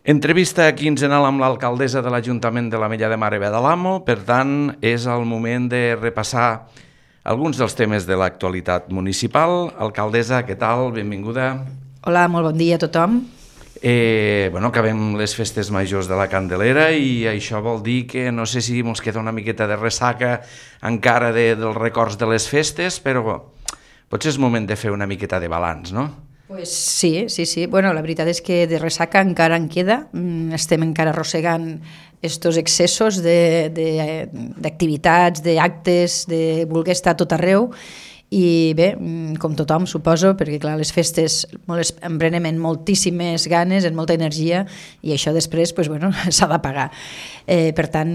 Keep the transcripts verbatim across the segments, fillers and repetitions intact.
Entrevista quinzenal amb l'alcaldessa de l'Ajuntament de l'Ametlla de Mar i Badalamo. Per tant, és el moment de repassar alguns dels temes de l'actualitat municipal. Alcaldessa, què tal? Benvinguda. Hola, molt bon dia a tothom. Eh, bueno, acabem les festes majors de la Candelera i això vol dir que no sé si ens queda una miqueta de ressaca encara de, dels records de les festes, però potser és moment de fer una miqueta de balanç, no? Pues sí, sí, sí. Bueno, la veritat és que de ressaca encara en queda. Estem encara arrossegant estos excessos d'activitats, d'actes, de voler estar a tot arreu. I bé, com tothom, suposo, perquè clar, les festes em prenen moltíssimes ganes, en molta energia, i això després pues, bueno, s'ha de pagar. Eh, per tant,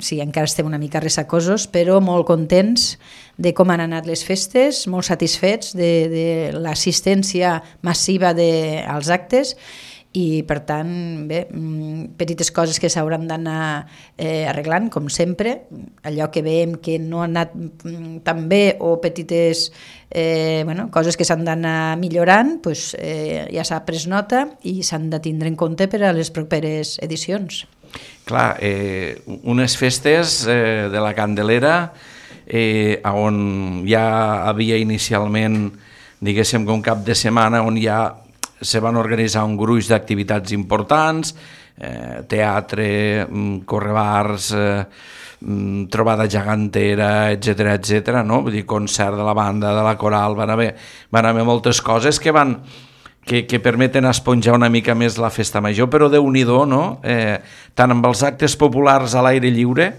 sí, encara estem una mica ressacosos, però molt contents de com han anat les festes, molt satisfets de, de l'assistència massiva de, als actes, i per tant, bé, petites coses que s'hauran d'anar eh, arreglant, com sempre, allò que veiem que no ha anat tan bé o petites eh, bueno, coses que s'han d'anar millorant, pues, eh, ja s'ha pres nota i s'han de tindre en compte per a les properes edicions. Clar, eh, unes festes eh, de la Candelera eh, on ja havia inicialment, diguéssim que un cap de setmana on ja se van organitzar un gruix d'activitats importants, eh, teatre, correbars, eh, trobada gegantera, etcètera, etcètera, no? Vull dir, concert de la banda, de la coral, van haver, van haver moltes coses que van que, que permeten esponjar una mica més la festa major, però déu-n'hi-do, no? Eh, tant amb els actes populars a l'aire lliure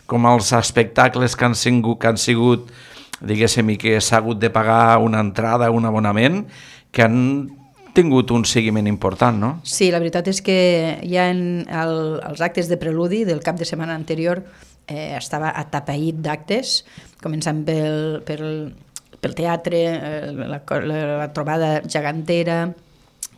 com els espectacles que han sigut, que han sigut diguéssim, i que s'ha hagut de pagar una entrada, un abonament, que han tingut un seguiment important, no? Sí, la veritat és que ja en el, els actes de preludi del cap de setmana anterior eh, estava atapeït d'actes, començant pel, pel, pel teatre, eh, la, la, la trobada gegantera,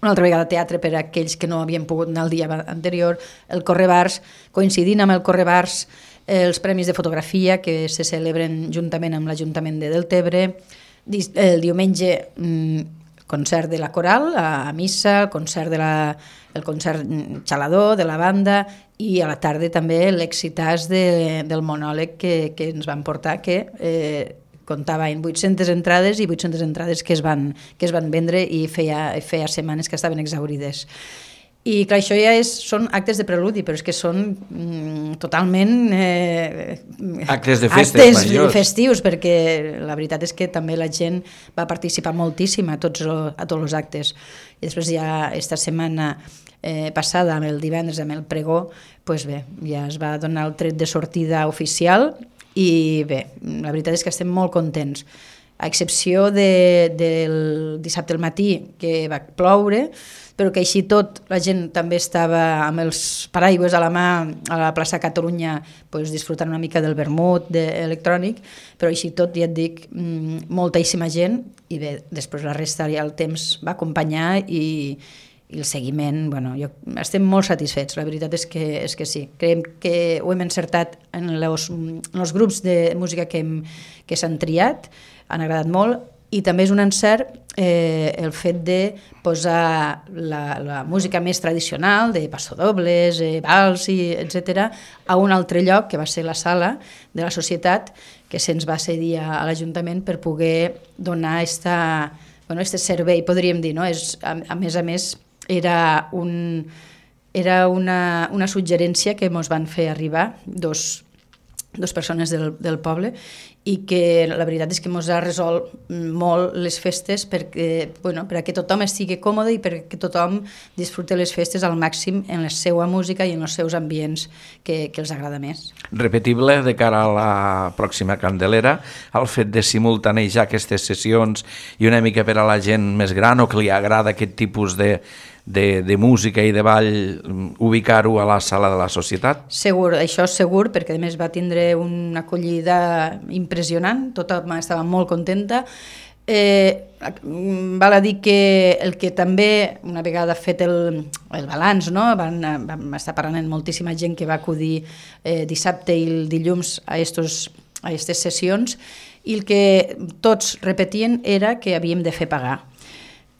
una altra vegada teatre per a aquells que no havien pogut anar el dia anterior, el Correbars, coincidint amb el Correbars, eh, els premis de fotografia que se celebren juntament amb l'Ajuntament de Deltebre, el diumenge mm, concert de la coral, a missa, el concert, de la, el concert xalador de la banda i a la tarda també l'exitàs de, del monòleg que, que ens van portar, que eh, comptava en vuit-centes entrades i vuit-centes entrades que es van, que es van vendre i feia, feia setmanes que estaven exaurides. I clar, això ja és, són actes de preludi, però és que són mm, totalment eh, actes de festes actes majors. Festius, perquè la veritat és que també la gent va participar moltíssim a tots, lo, a tots els actes. I després ja esta setmana eh, passada, amb el divendres, amb el pregó, pues bé, ja es va donar el tret de sortida oficial i bé, la veritat és que estem molt contents. A excepció de, del dissabte al matí, que va ploure, però que així tot la gent també estava amb els paraigües a la mà a la plaça Catalunya, pues, disfrutant una mica del vermut de, electrònic, però així tot, ja et dic, moltíssima gent, i bé, després la resta ja el temps va acompanyar i, i el seguiment, bueno, jo, estem molt satisfets, la veritat és que, és que sí. Creiem que ho hem encertat en els, en els grups de música que, hem, que s'han triat, han agradat molt, i també és un encert eh, el fet de posar la, la música més tradicional, de passodobles, eh, vals, i etcètera, a un altre lloc, que va ser la sala de la societat, que se'ns va cedir a, a l'Ajuntament per poder donar esta, bueno, este servei, podríem dir, no? És, a, a més a més, era, un, era una, una suggerència que ens van fer arribar dos, dos persones del, del poble, i que la veritat és que ens ha resolt molt les festes perquè, bueno, perquè tothom estigui còmode i perquè tothom disfruti les festes al màxim en la seva música i en els seus ambients que, que els agrada més. Repetible de cara a la pròxima Candelera, el fet de simultanejar aquestes sessions i una mica per a la gent més gran o que li agrada aquest tipus de De, de música i de ball, ubicar-ho a la sala de la societat? Segur, això és segur, perquè a més va tindre una acollida impressionant, tothom estava molt contenta. Eh, val a dir que el que també, una vegada fet el, el balanç, no? Van, vam estar parlant amb moltíssima gent que va acudir eh, dissabte i el dilluns a aquestes a aquestes sessions, i el que tots repetien era que havíem de fer pagar.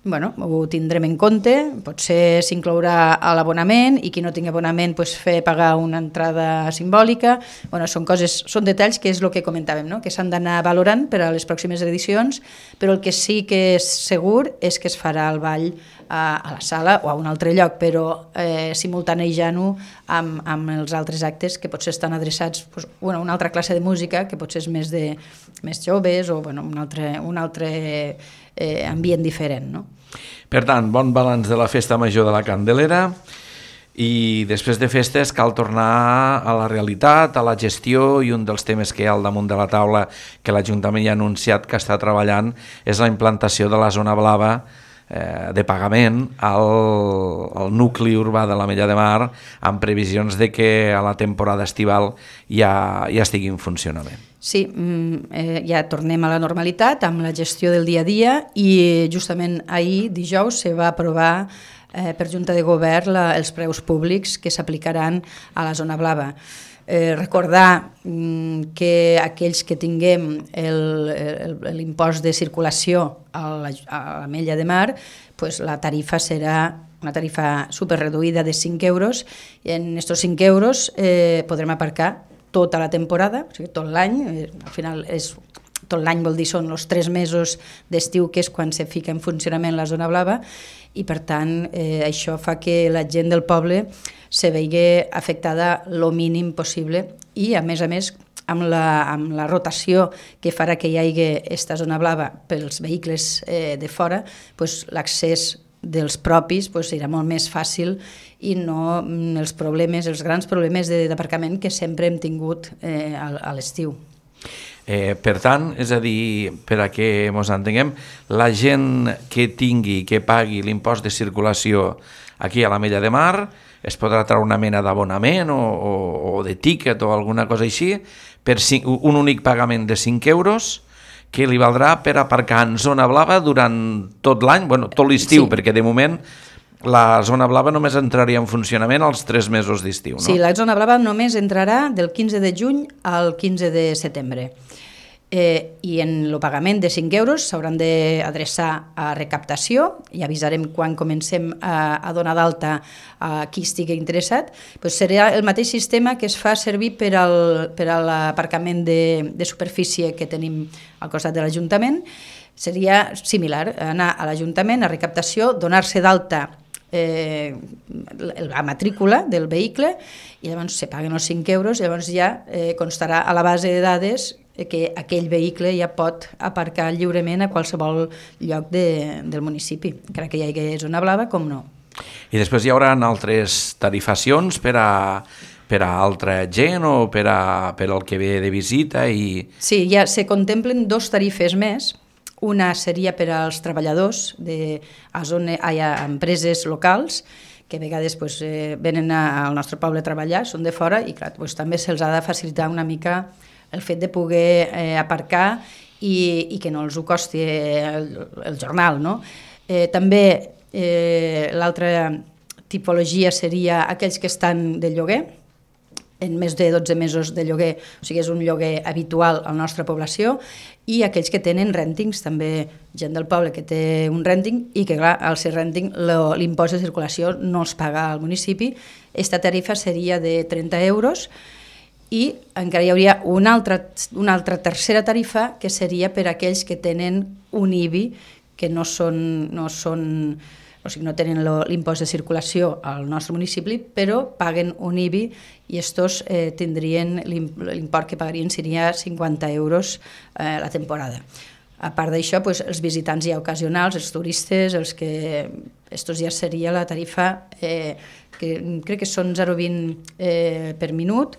bueno, ho tindrem en compte, potser s'inclourà a l'abonament i qui no tingui abonament pues, fer pagar una entrada simbòlica. Bueno, són coses, són detalls que és el que comentàvem, no? Que s'han d'anar valorant per a les pròximes edicions, però el que sí que és segur és que es farà el ball a, a la sala o a un altre lloc, però eh, simultanejant-ho amb, amb els altres actes que potser estan adreçats pues, bueno, a una altra classe de música que potser és més, de, més joves o bueno, un altre, un altre eh, ambient diferent, no? Per tant, bon balanç de la Festa Major de la Candelera i després de festes cal tornar a la realitat, a la gestió, i un dels temes que hi ha al damunt de la taula que l'Ajuntament ja ha anunciat que està treballant és la implantació de la zona blava eh, de pagament al, al nucli urbà de l'Ametlla de Mar, amb previsions de que a la temporada estival ja, ja estigui en funcionament. Sí, eh, ja tornem a la normalitat amb la gestió del dia a dia i justament ahir, dijous, se va aprovar eh, per Junta de Govern la, els preus públics que s'aplicaran a la zona blava. Eh, recordar mm, que aquells que tinguem l'impost de circulació a l'Ametlla de Mar, pues la tarifa serà una tarifa superreduïda de cinc euros i en aquests cinc euros eh, podrem aparcar tota la temporada, o sigui, tot l'any, al final és, tot l'any vol dir són els tres mesos d'estiu, que és quan se fica en funcionament la zona blava, i per tant eh, això fa que la gent del poble se vegi afectada lo mínim possible i a més a més amb la, amb la rotació que farà que hi hagi aquesta zona blava pels vehicles eh, de fora, pues, l'accés dels propis pues, serà molt més fàcil i no els problemes, els grans problemes d'aparcament que sempre hem tingut eh, a, a l'estiu. Eh, per tant, és a dir, per a que ens entenguem, la gent que tingui, que pagui l'impost de circulació aquí a l'Ametlla de Mar es podrà treure una mena d'abonament o, o, o de tíquet o alguna cosa així per cinc, un únic pagament de cinc euros que li valdrà per aparcar en zona blava durant tot l'any, bueno, tot l'estiu, sí. Perquè de moment la zona blava només entraria en funcionament els tres mesos d'estiu, no? Sí, la zona blava només entrarà del quinze de juny al quinze de setembre. Eh, I en el pagament de cinc euros s'hauran d'adreçar a recaptació i avisarem quan comencem a, a donar d'alta a qui estigui interessat. Pues serà el mateix sistema que es fa servir per, al, per a l'aparcament de, de superfície que tenim al costat de l'Ajuntament. Seria similar, anar a l'Ajuntament, a recaptació, donar-se d'alta eh, la matrícula del vehicle i llavors se paguen els cinc euros i llavors ja eh, constarà a la base de dades que aquell vehicle ja pot aparcar lliurement a qualsevol lloc de, del municipi, encara que hi hagi zona blava, com no. I després hi haurà altres tarifacions per a, per a altra gent o per, a, per al que ve de visita? I... Sí, ja se contemplen dos tarifes més. Una seria per als treballadors de a zona, a, a empreses locals, que a vegades pues, eh, venen a, al nostre poble a treballar, són de fora, i clar, pues, també se'ls ha de facilitar una mica el fet de poder eh, aparcar i, i que no els ho costi el, el jornal, no? Eh, també eh, l'altra tipologia seria aquells que estan de lloguer, en més de dotze mesos de lloguer, o sigui, és un lloguer habitual a la nostra població, i aquells que tenen rèntings, també gent del poble que té un rènting i que, clar, al ser rènting l'impost de circulació no els paga al municipi. Esta tarifa seria de trenta euros i encara hi hauria una altra, una altra tercera tarifa que seria per a aquells que tenen un I B I que no són, no són o sigui, no tenen l'impost de circulació al nostre municipi, però paguen un I B I i estos eh, tindrien l'import que pagarien seria cinquanta euros eh, la temporada. A part d'això, pues, els visitants ja ocasionals, els turistes, els que... Estos ja seria la tarifa eh, que crec que són zero coma vint eh, per minut.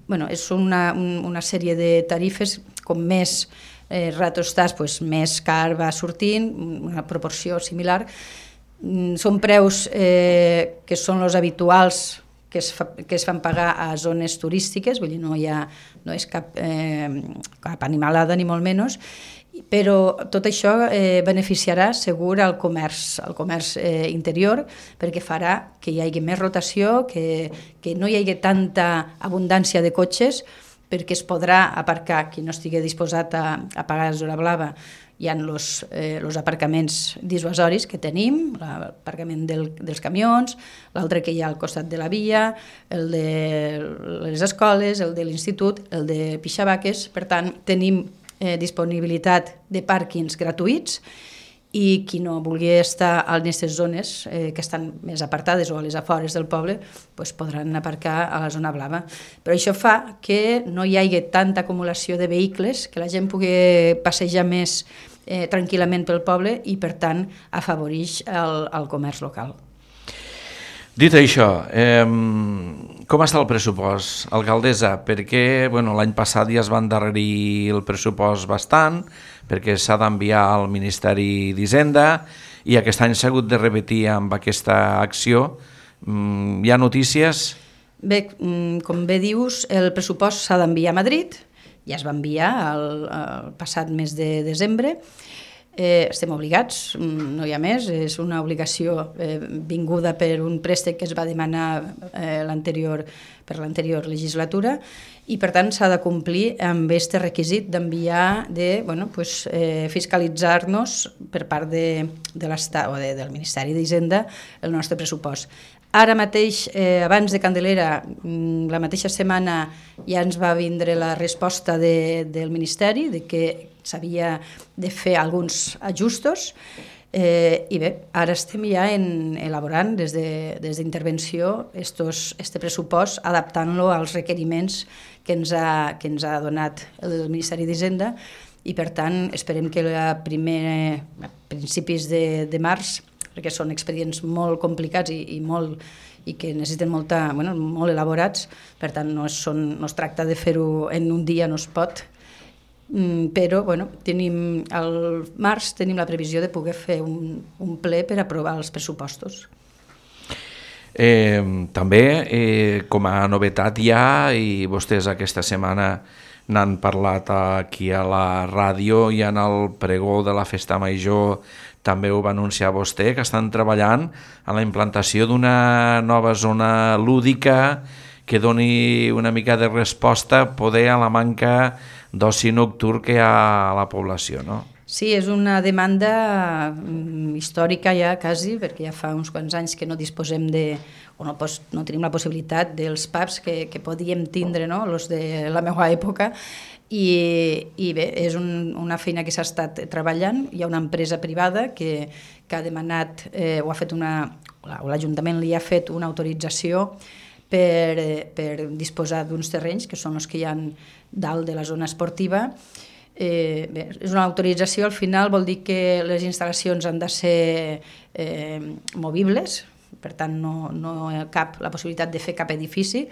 Bueno, és una, una sèrie de tarifes, com més eh, rato estàs, pues, més car va sortint, una proporció similar. Són preus eh, que són els habituals que es, fa, que es fan pagar a zones turístiques, vull dir, no, hi ha, no és cap, eh, cap animalada ni molt menys, però tot això eh, beneficiarà segur al comerç, al comerç eh, interior, perquè farà que hi hagi més rotació, que, que no hi hagi tanta abundància de cotxes, perquè es podrà aparcar qui no estigui disposat a, a pagar zona blava hi ha els eh, aparcaments dissuasoris que tenim, l'aparcament del, dels camions, l'altre que hi ha al costat de la via, el de les escoles, el de l'institut, el de Pixabaques. Per tant, tenim eh, disponibilitat de pàrquings gratuïts, i qui no vulgui estar en aquestes zones eh, que estan més apartades o a les afores del poble, pues podran aparcar a la zona blava. Però això fa que no hi hagi tanta acumulació de vehicles, que la gent pugui passejar més eh, tranquil·lament pel poble i, per tant, afavoreix el, el comerç local. Dit això, eh, com està el pressupost, alcaldessa? Perquè bueno, l'any passat ja es va endarrerir el pressupost bastant, perquè s'ha d'enviar al Ministeri d'Hisenda i aquest any s'ha hagut de repetir amb aquesta acció. Mm, hi ha notícies? Bé, com bé dius, el pressupost s'ha d'enviar a Madrid, ja es va enviar el, el passat mes de desembre. Eh, estem obligats, no hi ha més, és una obligació eh, vinguda per un préstec que es va demanar eh, l'anterior, per l'anterior legislatura, i per tant s'ha de complir amb aquest requisit d'enviar, de bueno, pues, eh, fiscalitzar-nos per part de, de l'Estat o de, del Ministeri d'Hisenda el nostre pressupost. Ara mateix, eh, abans de Candelera, la mateixa setmana ja ens va vindre la resposta de, del Ministeri de que s'havia de fer alguns ajustos eh, i bé, ara estem ja en, elaborant des d'intervenció de, este pressupost, adaptant-lo als requeriments que ens ha, que ens ha donat el Ministeri d'Hisenda i per tant esperem que a, primer, a principis de, de març, perquè són expedients molt complicats i, i, molt, i que necessiten molta, bueno, molt elaborats, per tant no es, són, no es tracta de fer-ho en un dia, no es pot, mm, però bueno, tenim, al març tenim la previsió de poder fer un, un ple per aprovar els pressupostos. Eh, també, eh, com a novetat ja, i vostès aquesta setmana n'han parlat aquí a la ràdio i en el pregó de la Festa Major també ho va anunciar vostè, que estan treballant en la implantació d'una nova zona lúdica que doni una mica de resposta poder a la manca d'oci nocturn que hi ha a la població, no? Sí, és una demanda històrica ja quasi, perquè ja fa uns quants anys que no disposem de, o no, pos, no tenim la possibilitat dels pubs que, que podíem tindre, no?, els de la meva època, i, i bé, és un, una feina que s'ha estat treballant. Hi ha una empresa privada que, que ha demanat, eh, o ha fet una, o l'Ajuntament li ha fet una autorització per, per disposar d'uns terrenys, que són els que hi ha dalt de la zona esportiva. Eh, bé, és una autorització, al final vol dir que les instal·lacions han de ser eh, movibles, per tant no, no hi ha cap, la possibilitat de fer cap edifici.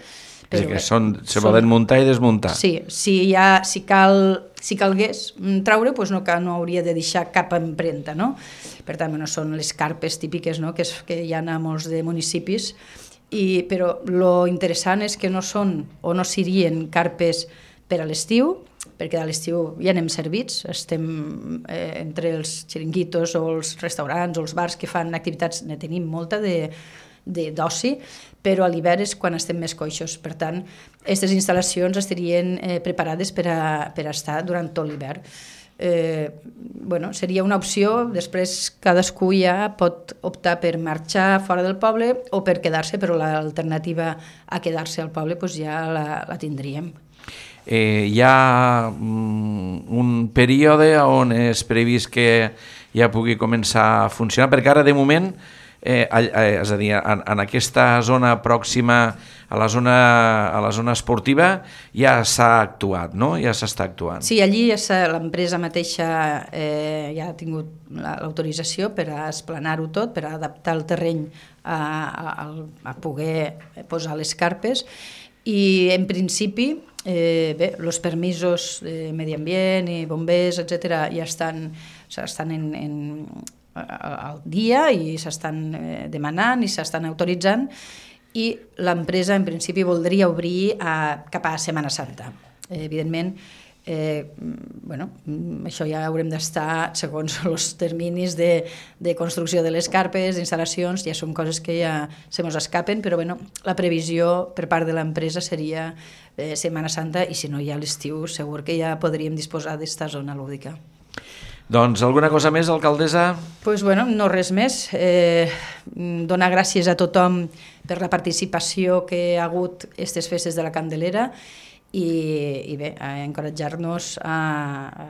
Però, és que són, se són, poden muntar i desmuntar. Sí, si, ha, si, cal, si calgués traure, doncs no, no hauria de deixar cap empremta, no? Per tant, bueno, són les carpes típiques, no?, que, és, que hi ha a molts de municipis, i, però lo interessant és que no són o no serien carpes per a l'estiu, perquè a l'estiu ja anem servits, estem eh, entre els xiringuitos o els restaurants o els bars que fan activitats, ne tenim molta de, de, d'oci, però a l'hivern és quan estem més coixos. Per tant, aquestes instal·lacions estarien eh, preparades per a, per a estar durant tot l'hivern. Eh, bueno, seria una opció, després cadascú ja pot optar per marxar fora del poble o per quedar-se, però l'alternativa a quedar-se al poble doncs ja la, la tindríem. Eh, hi ha mm, un període on és previst que ja pugui començar a funcionar, perquè ara de moment, eh, eh, és a dir, en, en aquesta zona pròxima a la zona, a la zona esportiva ja s'ha actuat, no? Ja s'està actuant. Sí, allí ja l'empresa mateixa eh, ja ha tingut l'autorització per a esplanar-ho tot, per a adaptar el terreny a, a, a poder posar les carpes, i en principi Eh, bé, els permisos de medi ambient i bombers, etcètera, ja estan, estan en, en, al dia i s'estan eh, demanant i s'estan autoritzant, i l'empresa en principi voldria obrir a, cap a Setmana Santa. Eh, evidentment, eh, bueno, això ja haurem d'estar segons els terminis de, de construcció de les carpes, d'instal·lacions, ja són coses que ja se mos escapen, però bueno, la previsió per part de l'empresa seria eh, Setmana Santa, i si no hi ha l'estiu segur que ja podríem disposar d'esta zona lúdica. Doncs alguna cosa més, alcaldessa? Pues bueno, no res més. Eh, donar gràcies a tothom per la participació que ha hagut aquestes festes de la Candelera i, i bé, a encoratjar-nos a,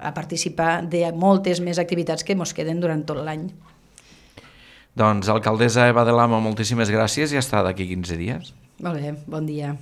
a participar de moltes més activitats que ens queden durant tot l'any. Doncs, alcaldessa Eva de Lamo, moltíssimes gràcies i hasta d'aquí quinze dies. Molt bé, bon dia.